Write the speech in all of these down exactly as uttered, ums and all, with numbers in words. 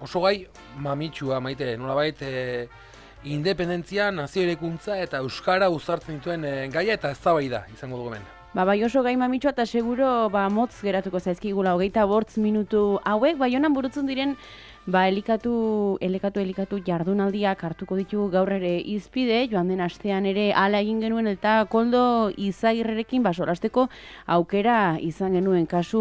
oso gai mamitsua maite, nolabait e, independentzia, nazio eraikuntza eta euskara uzartzen dituen e, gaia eta eztabaida izango dugu hemen. Ba, bai oso gai mamitsua eta seguro ba, motz geratuko zaizkigula hogeita bortz minutu hauek, Baionan burutzen diren ba, elikatu, elikatu, elikatu jardunaldiak hartuko ditugu gaur ere izpide, joan den astean ere hala egin genuen eta Koldo Izagirrerekin ba, solasteko aukera izan genuen kasu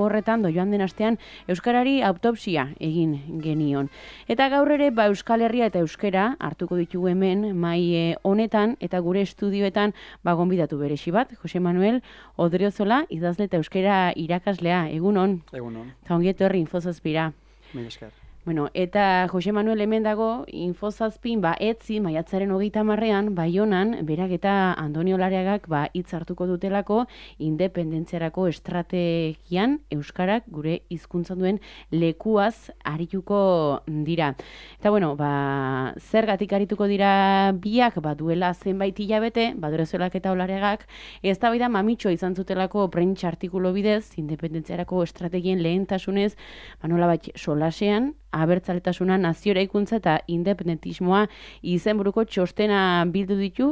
horretan, do joan den astean euskarari autopsia egin genion. Eta gaur ere ba, Euskal Herria eta euskara hartuko ditugu hemen mai honetan eta gure estudioetan ba, gonbidatu beresi bat, Jose Manuel Odriozola, idazle eta euskara irakaslea, egunon. Egunon. Eta ongi etorri Infozazpira. Mila esker. Bueno, eta Jose Manuel hemen dago Infozazpin ba etzi maiatzaren hogeita hamarrean Baionan berak eta Andonio Lareagak ba hitz hartuko dutelako independentziarako estrategian euskarak gure hizkuntzan duen lekuaz arituko dira. Eta bueno, ba zergatik arituko dira biak ba duela zenbait hilabete, Odriozolak eta Olareagak eztabaida mamitxo izan zutelako prentsa artikulu bidez independentziarako estrategien lehentasunez, ba nolabait solasean abertzaletasuna, nazio eraikuntza eta independentismoa izenburuko txostena bildu ditu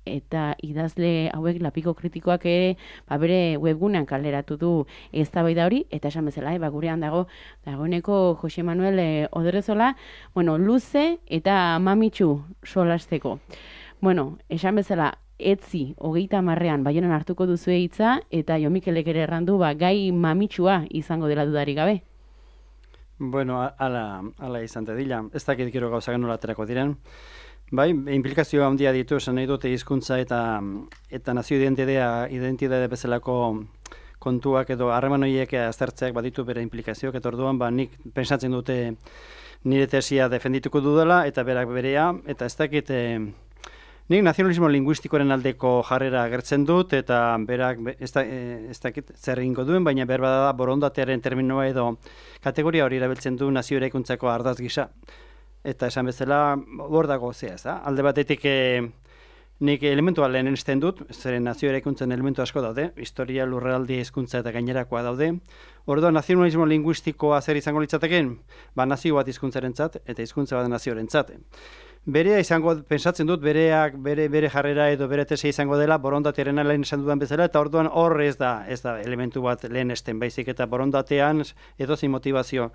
eta idazle hauek lapiko kritikoak ere ba, bere webgunean kaleratu du eztabaida hori eta esan bezala eh, ba, gurean dago dagoeneko Jose Manuel eh, Odriozola, bueno, luze eta mamitsu solasteko. Bueno, esan bezala etzi hogeita hamarrean Baionan hartuko duzue hitza eta Jo Mikelek ere errandu ba, gai mamitsua izango dela dudarik gabe. Bueno, ala, ala izan dira. Ez dakit gero gauzak nola aterako diren. Bai, implikazio handia ditu, esan nahi dute hizkuntza eta eta nazio identitatea, identitate bezalako kontuak edo harreman horiek aztertzeak baditu bere implikazioak, eta orduan ba nik pentsatzen dute nire tesia defendituko dudala eta berak berea, eta ez dakit eh, nik nazionalismo linguistikoaren aldeko jarrera agertzen dut, eta berak ez, da, ez dakit zer egingo duen, baina behar bada borondatearen terminoa edo kategoria hori erabiltzen du nazio eraikuntzako ardaz gisa. Eta esan bezala, hor dago zea, ez da? Alde batetik e, nik elementua lehenesten dut, zeren nazio eraikuntzen elementu asko daude, historia, lurraldi, hizkuntza eta gainerakoa daude. Orduan, nazionalismo linguistikoa zer izango litzateken, ba nazio bat hizkuntzarentzat eta hizkuntza bat nazioarentzat. Berea izango, pensatzen dut, bereak, bere, bere jarrera edo bere tese izango dela, borondatearen lehen esan dudan bezala, eta orduan hor ez da, ez da elementu bat lehen esten, baizik eta borondatean edozein motivazio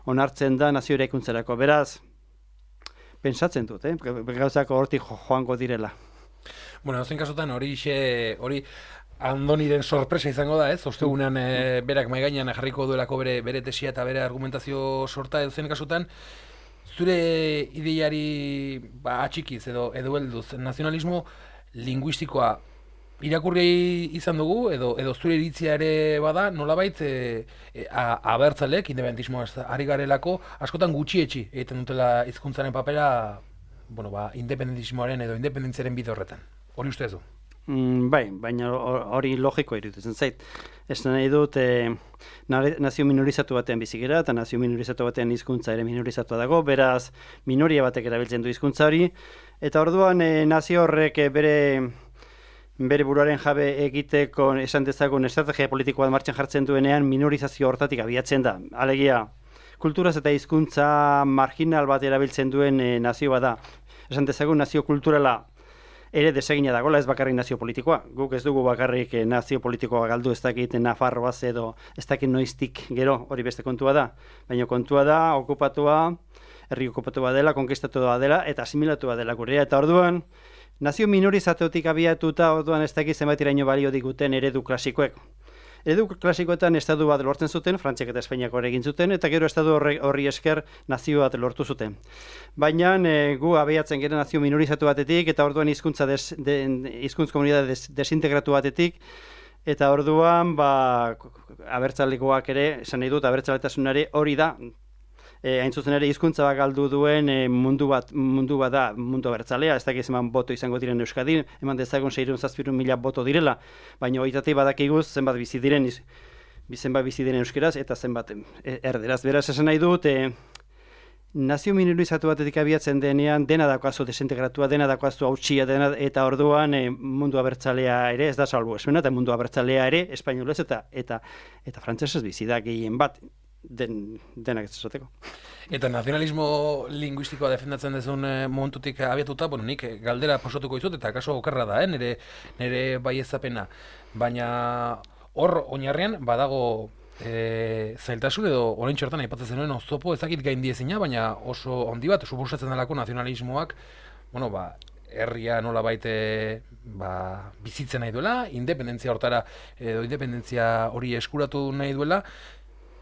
onartzen da nazio eraikuntzarako. Beraz, pensatzen dut, eh? gauzako hortik joango direla. Bueno, zen kasutan hori hori Andoniren sorpresa izango da, ez? Ostegunean e, berak mai gainean jarriko duelako bere, bere tesia eta bere argumentazio sorta edo zen kasutan, zure ideiari ba, atxikiz edo edo helduz nazionalismo linguistikoa irakurri izan dugu edo edo zure iritzia ere bada nolabait e, e, abertzalek independentismoa ari garelako askotan gutxietsi egiten dutela hizkuntzaren papera bueno, ba, independentismoaren edo independentziaren bide horretan. Hori uste du? Mm, bai, baina hori logiko iruditzen zait. Ez nahi dut, e, nazio minorizatu batean bizigera, eta nazio minorizatu batean hizkuntza ere minorizatua dago, beraz minoria batek erabiltzen du hizkuntza hori, eta orduan e, nazio horrek e, bere, bere buruaren jabe egiteko esan dezagun estrategia politikoa martxan jartzen duenean minorizazio hortatik abiatzen da. Alegia, kulturaz eta hizkuntza marginal bat erabiltzen duen e, nazio bada. Esan dezagun nazio kulturala ere desegina dagoela, ez bakarrik nazio politikoa. Guk ez dugu bakarrik nazio politikoa galdu, ez dakit Nafarroaz edo ez dakit noiztik gero, hori beste kontua da. Baina kontua da, okupatua, herri okupatua dela, konkistatua dela eta asimilatua dela gurea. Eta orduan, nazio minorizatutik abiatuta, orduan ez dakit zenbat iraino balio diguten eredu klasikoek. Eredu klasikoetan estatu bat lortzen zuten, Frantziak eta Espainiak hori egin zuten, eta gero estatu horri, horri esker nazio bat lortu zuten. Baina e, gu abiatzen gero nazio minorizatu batetik, eta orduan hizkuntza des, de, hizkuntz komunitate des, desintegratu batetik, eta orduan ba, abertzalekoak ere, esan nahi dut, abertzaletasunare hori da, E, hain zuzen ere hizkuntza bat galdu duen e, mundu bat mundu bat da mundu abertzalea, ez dakiz eman boto izango diren Euskadin, eman dezagun seiehun zazpiehun mila boto direla, baina hoitatik badakiguz zenbat bizi diren zenbat bizi diren euskeraz eta zenbat erderaz. Beraz esan nahi dut, e, nazio minorizatu batetik abiatzen denean dena daukazu desintegratua, dena daukazu hautsia dena, eta orduan e, mundu abertzalea ere ez da salbuespena, eta mundu abertzalea ere espainolez eta eta eta frantsesez bizi da gehien bat. den, denak ez esateko. Eta nazionalismo linguistikoa defendatzen dezun momentutik abiatuta, bueno, nik galdera posatuko izut, eta kaso okerra da, eh? nire, nire baiezapena. Baina hor oinarrian badago e, zailtasun edo orain txortan aipatzen zenuen oztopo ezakit gaindiezina, baina oso handi bat suposatzen delako nazionalismoak, bueno, ba, herria nola baite ba, bizitzen nahi duela, independentzia hortara edo independentzia hori eskuratu nahi duela,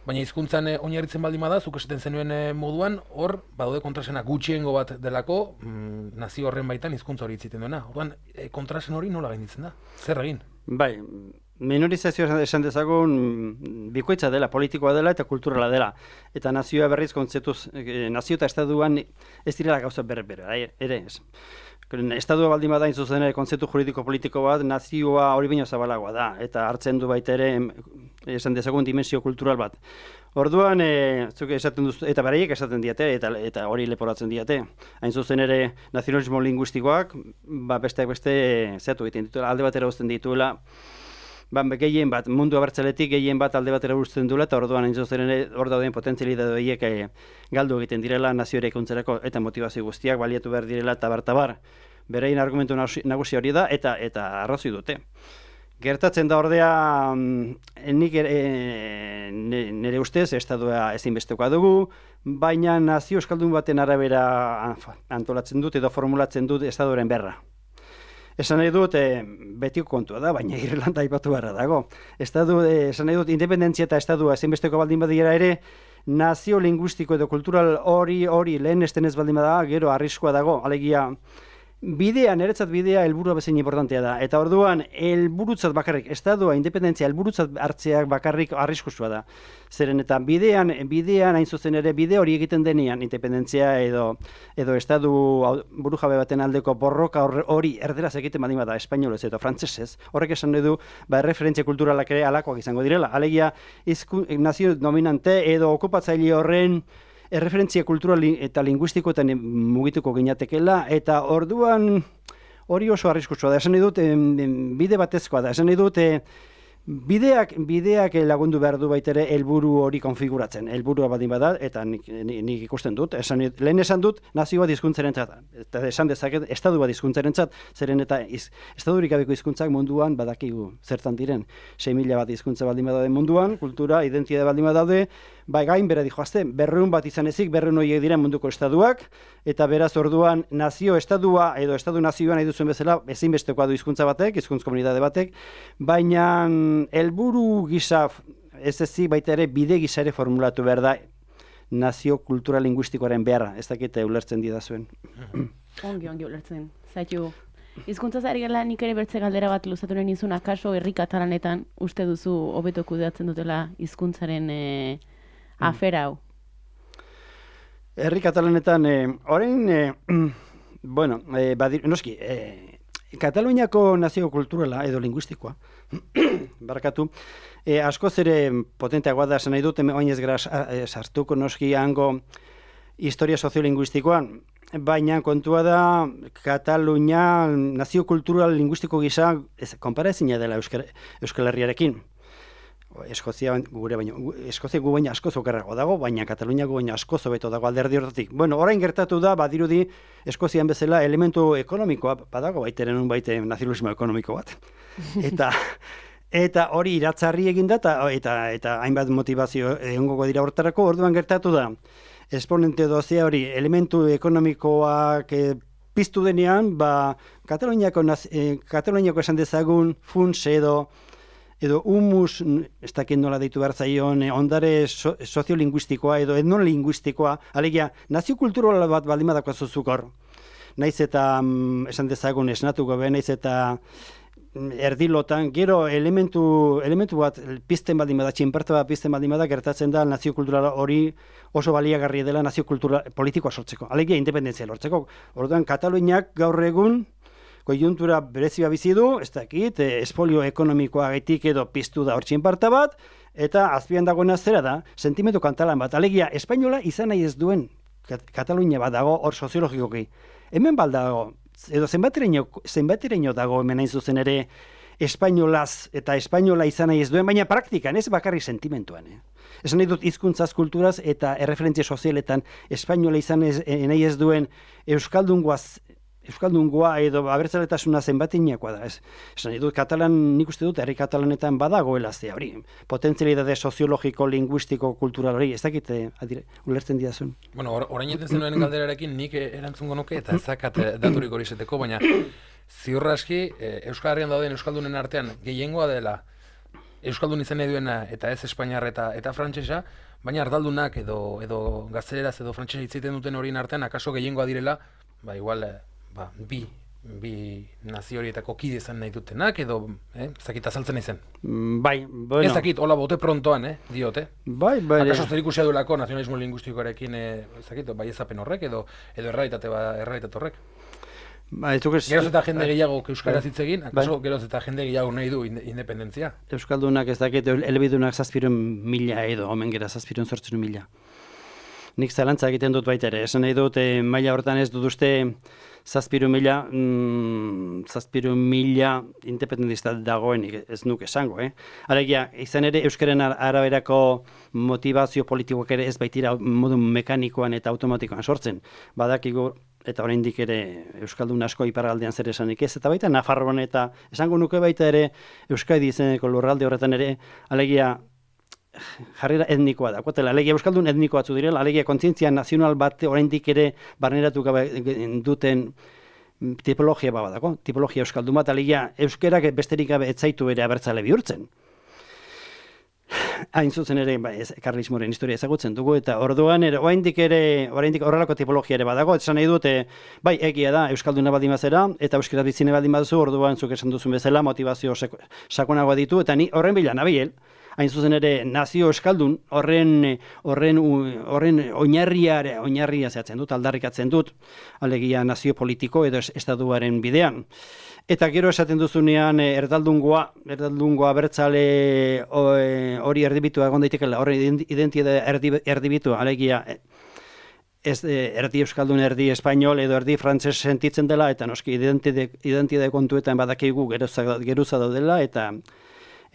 baina hizkuntzan oinarritzen baldin bada, zuk esaten zenuen moduan, hor badaude kontrasena gutxiengo bat delako mm, nazio horren baitan hizkuntza hori itziten duena. Orduan, e, kontrasen hori nola gainditzen da? Zer egin? Bai, minorizazioa esan dezagun bikoitza dela, politikoa dela eta kulturala dela. Eta nazioa berriz kontzeptuz, eh, nazio eta estaduan ez direla gauza berre-bere, ere ez. Estadua baldin bada zuzen ere kontzeptu juridiko politiko bat, nazioa hori baino zabalagoa da, eta hartzen du baita ere esan dezagun dimensio kultural bat. Orduan, e, zuk esaten duzu, eta beraiek esaten diate, eta, eta hori leporatzen diate. Hain zuzen ere nazionalismo linguistikoak, ba, besteak beste zehatu egiten dituela, alde batera uzten dituela, ba, gehien bat, mundu abertzaletik gehien bat alde batera uzten duela, eta orduan hain zuzen ere hor dauden potentzialitatea horiek e, galdu egiten direla nazio eraikuntzarako eta motivazio guztiak baliatu behar direla eta bar-tabar. Berein argumentu nagusi hori da, eta eta arrazoi dute. Gertatzen da ordea, nik e, nire ustez, estadua ezinbestekoa dugu, baina nazio euskaldun baten arabera antolatzen dut edo formulatzen dut estaduaren berra. Esan nahi dut, e, betiko kontua da, baina Irlanda aipatu beharra dago. Estadu, e, esan nahi dut, independentzia eta estadua ezinbesteko baldin badira ere, nazio linguistiko edo kultural hori hori lehen esten ez baldin bada, gero arriskua dago, alegia, bidea, niretzat bidea helburua bezain importantea da. Eta orduan, helburutzat bakarrik, estadua, independentzia, helburutzat hartzeak bakarrik arriskusua da. Zeren eta bidean, bidean hain zuzen ere, bide hori egiten denean, independentzia edo, edo estadu burujabe baten aldeko borroka hori erderaz egiten badin bada, espainolez edo frantsesez, horrek esan nahi du, ba, referentzia kulturalak ere alakoak izango direla. Alegia, izku, nazio dominante edo okupatzaile horren erreferentzia kultural eta linguistikoetan mugituko ginatekela, eta orduan hori oso arriskutsua da. Esan nahi dut, bide batezkoa da. Esan nahi dut, bideak, bideak lagundu behar du baitere helburu hori konfiguratzen. Helburua badin bada, eta nik, nik ikusten dut. Esan, lehen esan dut, nazio bat hizkuntzarentzat, eta esan dezaket, estadu bat hizkuntzarentzat, zeren eta iz, estadurik gabeko hizkuntzak munduan badakigu zertan diren. sei mila bat hizkuntza baldin badaude munduan, kultura, identitate baldin badaude, bai gain bera dijoazte, berreun bat izan ezik, berreun horiek diren munduko estaduak, eta beraz orduan nazio estadua edo estadu nazioan nahi duzuen bezala ezinbestekoa du hizkuntza batek, hizkuntz komunitate batek, baina helburu gisa ez ezik baita ere bide gisa ere formulatu behar da nazio kultura linguistikoaren beharra, ez dakite ulertzen didazuen. Ongi, ongi ulertzen, zaitu. Hizkuntza zari gala nik ere bertze galdera bat luzatu nahi nizun, akaso herri katalanetan uste duzu hobeto kudeatzen dutela hizkuntzaren e, afera hau? Herri katalanetan, e, orain, e, bueno, e, badir, noski, e, Kataluniako nazio kulturala edo linguistikoa, barkatu, e, askoz ere potenteagoa da, esan nahi dut, oin ez gara sartuko noski hango historia soziolinguistikoan, baina kontua da Katalunia nazio kultural linguistiko gisa konparaezina dela Euskal, Euskal Herriarekin. Eskozia gure baino, Eskozia gu baina askoz okerrago dago, baina Katalunia gu baina askoz hobeto dago alderdi horretik. Bueno, orain gertatu da, badirudi Eskozian bezala elementu ekonomikoa badago, baiteren un baite nazionalismo ekonomiko bat. Eta eta hori iratzarri egin da, eta, eta, eta hainbat motivazio egongo dira hortarako, orduan gertatu da. Esponente dozea hori, elementu ekonomikoak e, piztu denean, ba, Kataluniako, e, Kataluniako esan dezagun funts edo edo humus, ez dakit nola deitu behar zaion, ondare so, soziolinguistikoa edo etnolinguistikoa, alegia, nazio kultural bat baldin badako zuzuk hor. Naiz eta, mm, esan dezagun, esnatuko be, naiz eta erdilotan, gero elementu, elementu bat pizten baldin bada, txinparta bat pizten baldin bada, gertatzen da nazio kultural hori oso baliagarri dela nazio kultura politikoa sortzeko. Alegia, independentzia lortzeko. Orduan, Kataluniak gaur egun konjuntura berezia bizi du, ez dakit, espolio ekonomikoa gaitik edo piztu da hor txinparta bat, eta azpian dagoena zera da, sentimendu kantalan bat. Alegia, espainola izan nahi ez duen Katalunia bat dago hor soziologikoki. Hemen baldago, edo zenbatereino, zenbatereino dago hemen hain zuzen ere espainolaz eta espainola izan nahi ez duen, baina praktikan ez bakarri sentimentuan. Eh? Esan nahi dut hizkuntzaz, kulturaz eta erreferentzia sozialetan espainola izan ez, nahi ez duen euskaldungoaz Euskaldungoa edo abertzaletasuna zenbatinakoa da, ez. Esan nahi dut, katalan, nik uste dut, herri katalanetan badagoela ze hori, potentzialidade soziologiko, linguistiko, kultural hori, ez dakit, adire, ulertzen diazun. Bueno, or, orain eten zenuen galderarekin nik erantzungo nuke, eta ezakat daturik hori zeteko, baina ziurra aski, Euskal Herrian dauden Euskaldunen artean gehiengoa dela Euskaldun izan nahi duena eta ez Espainiar eta, eta frantsesa, baina ardaldunak edo, edo gazteleraz edo frantsesa hitz egiten duten horien artean, akaso gehiengoa direla, ba, igual, ba, bi, bi nazio horietako kide izan nahi dutenak, edo, eh, ez dakit azaltzen izan. Bai, bueno. Ez dakit, hola bote prontoan, eh, diote. Bai, bai. Akaso zerikusia duelako nazionalismo lingüistikoarekin, eh, ez dakit, bai ezapen horrek, edo, edo errealitate, ba, errealitate horrek. Ba, ez... Geroz eta jende gehiago euskaraz hitz egin, akaso geroz eta jende gehiago nahi du independentzia. Euskaldunak ez dakit, elebidunak zazpirun mila edo, omen gera zazpirun zortzun mila. Nik zalantza egiten dut baita ere, esan nahi dut, eh, maila hortan ez dut uste zazpiru mila, mm, zazpiru mila independentista dagoenik, ez nuke esango, eh? Alegia, izan ere, euskaren araberako motivazio politikoak ere ez baitira modu mekanikoan eta automatikoan sortzen. Badakigu, eta oraindik ere euskaldun asko iparraldean zer esanik ez, eta baita Nafarroan eta esango nuke baita ere Euskadi izeneko lurralde horretan ere, alegia, jarrera etnikoa da. Kuatela, alegia euskaldun etniko batzu direla, alegia kontzientzia nazional bat oraindik ere barneratu gabe duten tipologia bat badako, tipologia euskaldun bat, alegia euskerak besterik gabe ez zaitu ere abertzale bihurtzen. Hain zuzen ere, ba, ez, karlismoren historia ezagutzen dugu, eta orduan ere, oraindik ere, oraindik horrelako tipologia ere badago, esan nahi dute, bai, egia da, euskalduna baldin bazera, eta euskara bitzine baldin baduzu, orduan zuk esan duzun bezala, motivazio sakonagoa ditu, eta ni horren bila nabiel, hain zuzen ere nazio euskaldun horren horren horren oinarria oinarria zehatzen dut, aldarrikatzen dut, alegia nazio politiko edo estatuaren bidean. Eta gero esaten duzunean erdaldungoa, erdaldungoa bertzale hori erdibitua egon daitekela, horren identitate erdibitua, alegia ez erdi euskaldun, erdi espainol edo erdi frantses sentitzen dela, eta noski identitate kontuetan badakigu geruza daudela, eta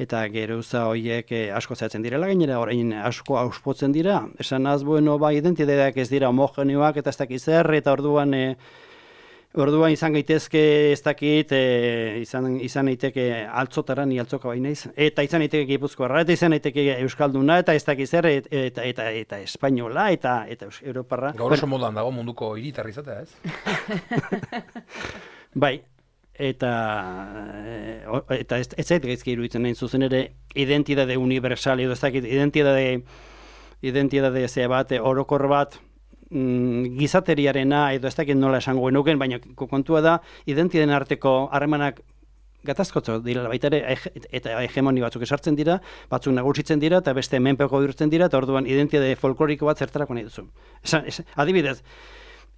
eta geruza horiek asko zehatzen direla, gainera orain asko auspotzen dira. Esan az, bueno, ba, identitateak ez dira homogeneoak eta ez dakit zer, eta orduan e, orduan izan gaitezke ez dakit, e, izan, izan daiteke altzotara, ni altzoka bai naiz, eta izan daiteke Gipuzkoarra, eta izan daiteke euskalduna, eta ez dakit zer, eta, eta, eta, eta espainola, eta, eta europarra. Gaur oso modan dago munduko hiritarri izatea, ez? Bai. Eta, eta ez, ez zait gaizki iruditzen nahi zuzen ere identitate universal edo ez dakit identitate identitate zea bat, orokor bat mm, gizateriarena edo ez dakit nola esango genuken, baina kontua da identitateen arteko harremanak gatazkotzo direla baita ere eta hegemoni batzuk esartzen dira, batzuk nagusitzen dira eta beste menpeko bihurtzen dira, eta orduan identitate folkloriko bat zertarako nahi duzu. Esan, esan, adibidez,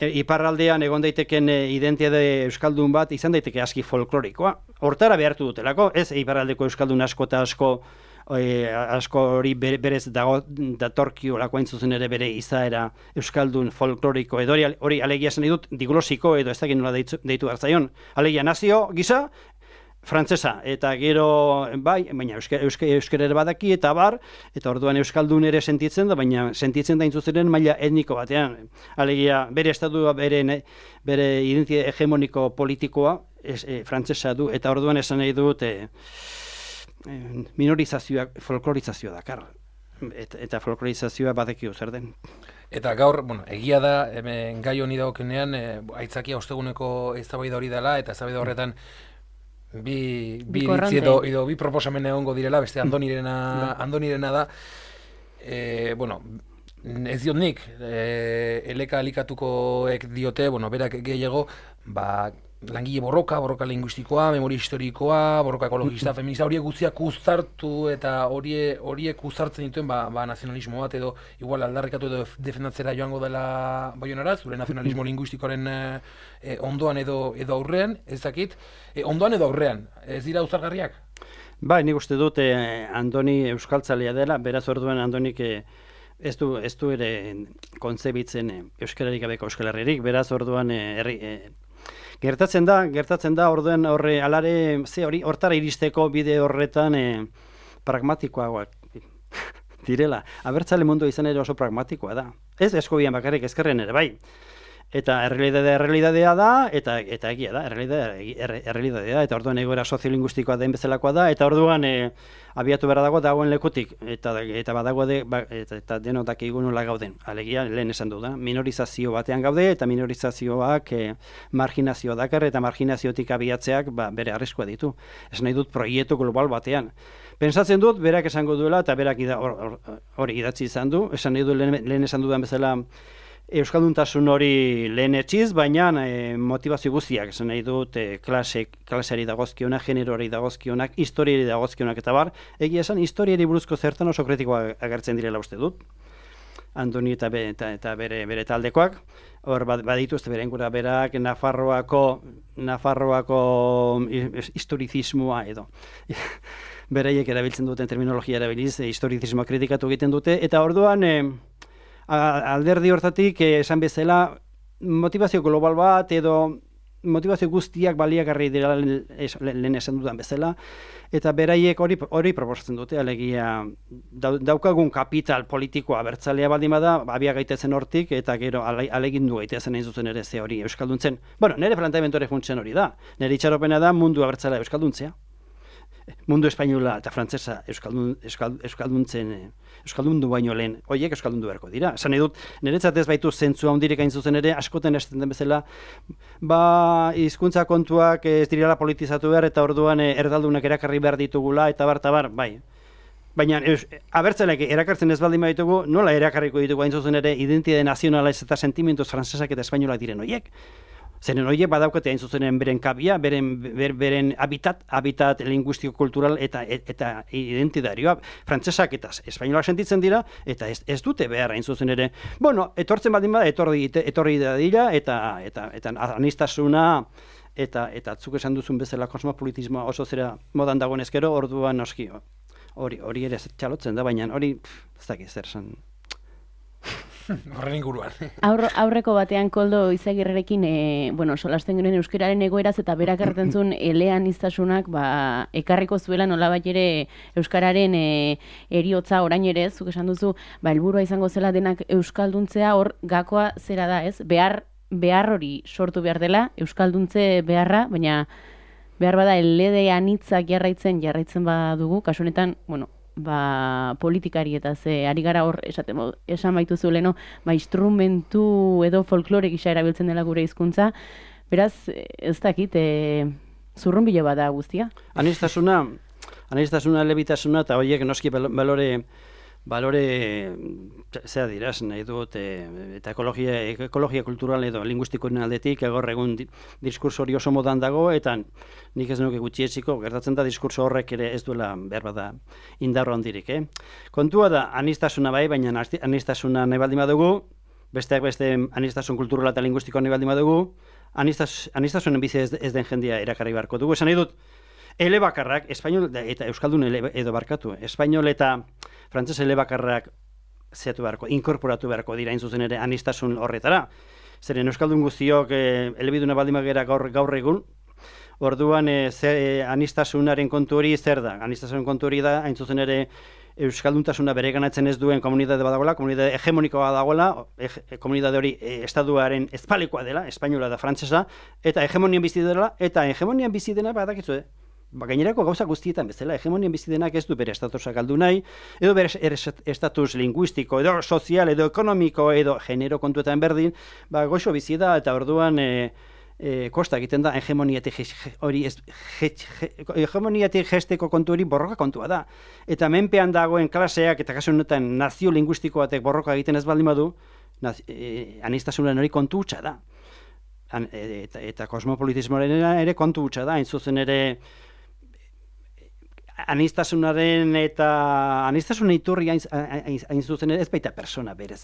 iparraldean egon daiteken identitate euskaldun bat izan daiteke aski folklorikoa. Hortara behartu dutelako, ez iparraldeko euskaldun asko eta asko e, asko hori berez dago datorkio lakoain zuzen ere bere izaera euskaldun folkloriko edo hori, hori alegia esan dut diglosiko edo ez dakit nola deitu, deitu hartzaion. Alegia nazio gisa frantsesa, eta gero, bai, baina euskera euske, euske ere badaki, eta bar, eta orduan euskaldun ere sentitzen da, baina sentitzen da intzuzeren maila etniko batean. Alegia, bere estatua, bere, bere identitate hegemoniko politikoa, es, e, frantsesa du, eta orduan esan nahi dut, e, e, minorizazioa, folklorizazioa dakar. Et, eta folklorizazioa badekio zer den. Eta gaur, bueno, egia da, hemen gai honi dagokenean, e, aitzakia osteguneko eztabaida hori dela, eta eztabaida horretan, bi bi iritzi edo, edo bi proposamen egongo direla, beste Andonirena, Andonirena da, e, bueno, ez diot nik, e, eleka alikatukoek diote, bueno, berak gehiago, ba, langile borroka, borroka linguistikoa, memoria historikoa, borroka ekologista, feminista, horiek guztiak uztartu eta horiek horiek uztartzen dituen ba, ba nazionalismo bat edo igual aldarrikatu edo defendatzera joango dela Baionara, zure nazionalismo linguistikoaren e, ondoan edo edo aurrean, ez dakit, e, ondoan edo aurrean, ez dira uztargarriak? Bai, nik uste dut eh, Andoni euskaltzalea dela, beraz orduan Andonik eh, ez du ez du ere kontzebitzen eh, euskararik gabeko euskal herririk, beraz orduan eh, herri eh, Gertatzen da, gertatzen da, orduen horre, alare, ze hori, hortara iristeko bide horretan e, pragmatikoagoak direla. Abertzale mundu izan ere oso pragmatikoa da. Ez eskobian bakarrik ezkerren ere, bai. Eta errealidadea errealidadea da, eta eta egia da, errealidadea errealidadea da, eta orduan egoera soziolinguistikoa den bezalakoa da, eta orduan e, abiatu behar dago dagoen lekutik, eta eta badago de, ba, eta, eta denotak nola gauden. Alegia, lehen esan du da, minorizazio batean gaude, eta minorizazioak e, marginazio dakar, eta marginaziotik abiatzeak ba, bere arriskua ditu. Ez nahi dut proiektu global batean. Pentsatzen dut, berak esango duela, eta berak ida, hori or, or, idatzi izan du, esan nahi du lehen, lehen esan dudan bezala, euskalduntasun hori lehen etxiz, baina e, motivazio guztiak, esan nahi dut, e, klase, klaseari dagozkionak, generoari dagozkionak, historiari dagozkionak eta bar, egia esan, historiari buruzko zertan oso kritikoa agertzen direla uste dut. Andoni eta, be, eta, eta bere, bere taldekoak, hor baditu ez beren gura berak, Nafarroako, Nafarroako historizismoa edo. Bereiek erabiltzen duten terminologia erabiliz, e, historizismoa kritikatu egiten dute, eta orduan, e, alderdi hortatik esan bezala motivazio global bat edo motivazio guztiak baliagarri dira lehen esan dudan bezala, eta beraiek hori hori proposatzen dute, alegia daukagun kapital politikoa abertzalea baldin bada, abia gaitezen hortik, eta gero alegindu gaitezen hain zuzen ere ze hori euskalduntzen. Bueno, nire planteamendu ere funtzen hori da, nire itxaropena da mundu abertzalea euskalduntzea. Mundu espainola eta frantsesa euskaldun, euskal, euskalduntzen euskaldundu baino lehen, horiek euskaldundu beharko dira. Esan nahi dut, niretzat ez baitu zentzua handirik hain zuzen ere, askoten esaten den bezala, ba, hizkuntza kontuak ez direla politizatu behar, eta orduan erdaldunak erakarri behar ditugula, eta bar, eta bar, bai. Baina, abertzaleak erakartzen ez baldin baditugu, nola erakarriko ditugu hain zuzen ere, identitate nazionala eta sentimentos frantsesak eta espainolak diren horiek? Zeren horiek badaukate hain zuzenen beren kabia, beren, ber, beren habitat, habitat linguistiko-kultural eta eta identitarioa. Frantsesak eta espainolak sentitzen dira, eta ez, ez dute behar hain zuzen ere. Bueno, etortzen baldin bada, etorri, etorri da dira, eta, eta, eta anistasuna, eta, eta atzuk esan duzun bezala kosmopolitismoa oso zera modan dagoen ezkero, orduan noski, hori, hori ere txalotzen da, baina hori, ez dakit zer esan. Horren inguruan. Aur, aurreko batean Koldo Izagirrerekin, e, bueno, solasten genuen euskararen egoeraz eta berak erretentzun elean iztasunak, ba, ekarriko zuela nolabait ere euskararen e, eriotza orain ere, zuk esan duzu, ba, helburua izango zela denak euskalduntzea, hor gakoa zera da, ez? Behar, behar hori sortu behar dela, euskalduntze beharra, baina behar bada elede anitzak jarraitzen, jarraitzen badugu, kasu honetan, bueno, ba, politikari eta ze ari gara hor esaten esan baitu zueleno, ba, instrumentu edo folklore gisa erabiltzen dela gure hizkuntza. Beraz, ez dakit, e, zurrunbilo bada guztia. Anistasuna, anistasuna, elebitasuna eta horiek noski balore balore zera diraz, nahi dut, e, eta ekologia, ekologia kultural edo linguistikoen aldetik, egor egun di, diskurso hori oso modan dago, eta nik ez nuke gutxietxiko, gertatzen da diskurso horrek ere ez duela behar bada indarro handirik. Eh? Kontua da, anistasuna bai, baina anistasuna nahi baldin badugu, besteak beste anistasun kulturala eta linguistikoa nahi baldin badugu, anistas, anistasunen bizi ez, ez den jendia erakarri beharko dugu. Esan nahi dut, elebakarrak, espainol eta euskaldun ele, edo barkatu, espainol eta frantses elebakarrak zeatu beharko, inkorporatu beharko dira zuzen ere anistasun horretara. Zeren euskaldun guztiok e, elebiduna baldin bagera gaur, gaur egun, orduan e, ze, e, anistasunaren kontu hori zer da? Anistasunaren kontu hori da, hain zuzen ere euskalduntasuna bere ganatzen ez duen komunitate badagoela, komunitate hegemonikoa badagoela, e, komunitate hori e, estatuaren ezpalikoa dela, espainola da frantsesa, eta hegemonian bizi dela, eta hegemonian bizi dena badakizu, eh? Ba, gainerako gauza guztietan bezala, hegemonian bizi denak ez du bere estatusa galdu nahi, edo bere estatus linguistiko, edo sozial, edo ekonomiko, edo genero kontuetan berdin, ba, goxo bizi da, eta orduan e, e, kosta egiten da hegemoniatik hori ez, hegemoniatik gesteko kontu hori borroka kontua da. Eta menpean dagoen klaseak, eta kasu honetan nazio linguistiko batek borroka egiten ez baldin badu, naz, e, anistasunan hori kontu hutsa da. An, e, eta, eta kosmopolitismoaren ere kontu hutsa da, hain zuzen ere anistasunaren eta anistasunen iturri hain, hain, hain zuzen ez baita persona berez.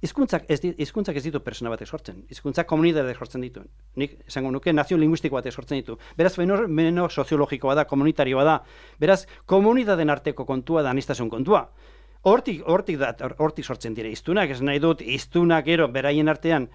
Hizkuntzak ez, hizkuntzak ez ditu persona batek sortzen, hizkuntzak komunitateak sortzen ditu. Nik esango nuke nazio linguistiko batek sortzen ditu. Beraz, menos soziologikoa da, komunitarioa da. Beraz, komunitateen arteko kontua da anistasun kontua. Hortik, hortik, da, hortik sortzen dira iztunak, ez nahi dut, iztunak ero, beraien artean,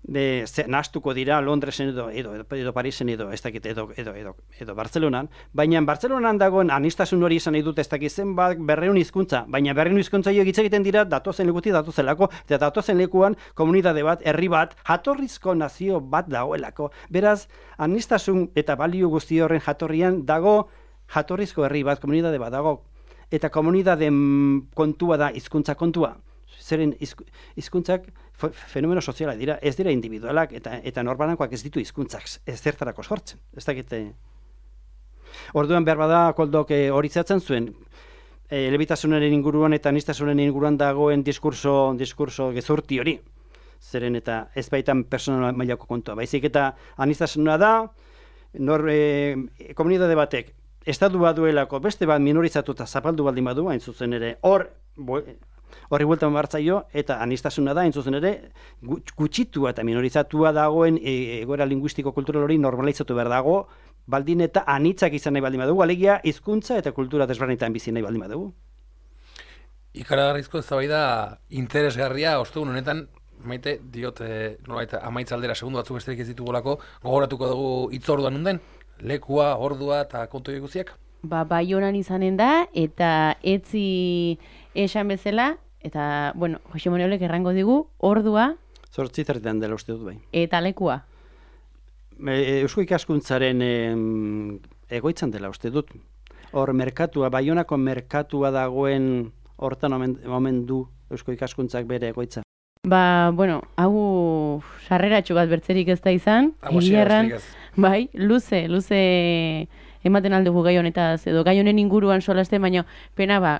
be, ze, nahastuko dira Londresen edo, edo, edo, edo Parisen edo, ez dakit, edo, edo, edo, edo Bartzelonan, baina Bartzelonan dagoen anistasun hori izan nahi dut, ez dakit zenbat berreun hizkuntza, baina berreun hizkuntza jo hitz egiten dira datozen lekutik datozelako, eta datozen lekuan komunitate bat, herri bat, jatorrizko nazio bat dagoelako. Beraz, anistasun eta balio guzti horren jatorrian dago jatorrizko herri bat, komunitate bat dago. Eta komunitate kontua da hizkuntza kontua. Zeren hizkuntzak fenomeno soziala dira, ez dira individualak eta eta norbanakoak ez ditu hizkuntzak ez zertarako sortzen. Ez dakite. Orduan behar bada Koldok hori zehatzen zuen e, elebitasunaren inguruan eta aniztasunaren inguruan dagoen diskurso diskurso gezurti hori. Zeren eta ez baitan personal mailako kontua. Baizik eta aniztasuna da nor e, komunitate batek estatu bat duelako beste bat minorizatu eta zapaldu baldin badu, hain zuzen ere, hor, horri bueltan bartzaio, eta anistasuna da, hain zuzen ere, gutxitua eta minorizatua dagoen e, egoera linguistiko kultural hori normalizatu behar dago, baldin eta anitzak izan nahi baldin badugu, alegia hizkuntza eta kultura desberdinetan bizi nahi baldin badugu. Ikaragarrizko eztabaida interesgarria, ostegun honetan, maite, diot, e, nolait, amaitz aldera segundu batzuk besterik ez ditugolako, gogoratuko dugu hitzorduan nunden? Lekua, ordua eta kontu guziak? Ba, Baionan izanen da, eta etzi esan bezala, eta, bueno, Jose Manuelek errango digu, ordua... Zortzi zertan dela uste dut bai. Eta lekua? E, Eusko ikaskuntzaren e, egoitzan dela uste dut. Hor, merkatua, Baionako merkatua dagoen hortan omen, omen du Eusko ikaskuntzak bere egoitza. Ba, bueno, hau sarreratxo bat bertzerik ez da izan. Egiarran, bai, luze, luze ematen aldugu gai honetaz, edo gai honen inguruan solaste, baina pena ba,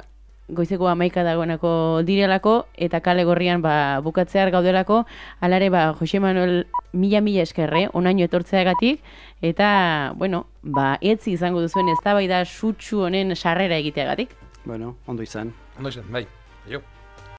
goizeko hamaika dagoenako direlako, eta kale gorrian ba, bukatzear gaudelako, alare ba, Jose Manuel mila-mila eskerre, onaino etortzeagatik, eta, bueno, ba, etzi izango duzuen eztabaida sutsu honen sarrera egiteagatik. Bueno, ondo izan. Ondo izan, bai, jo.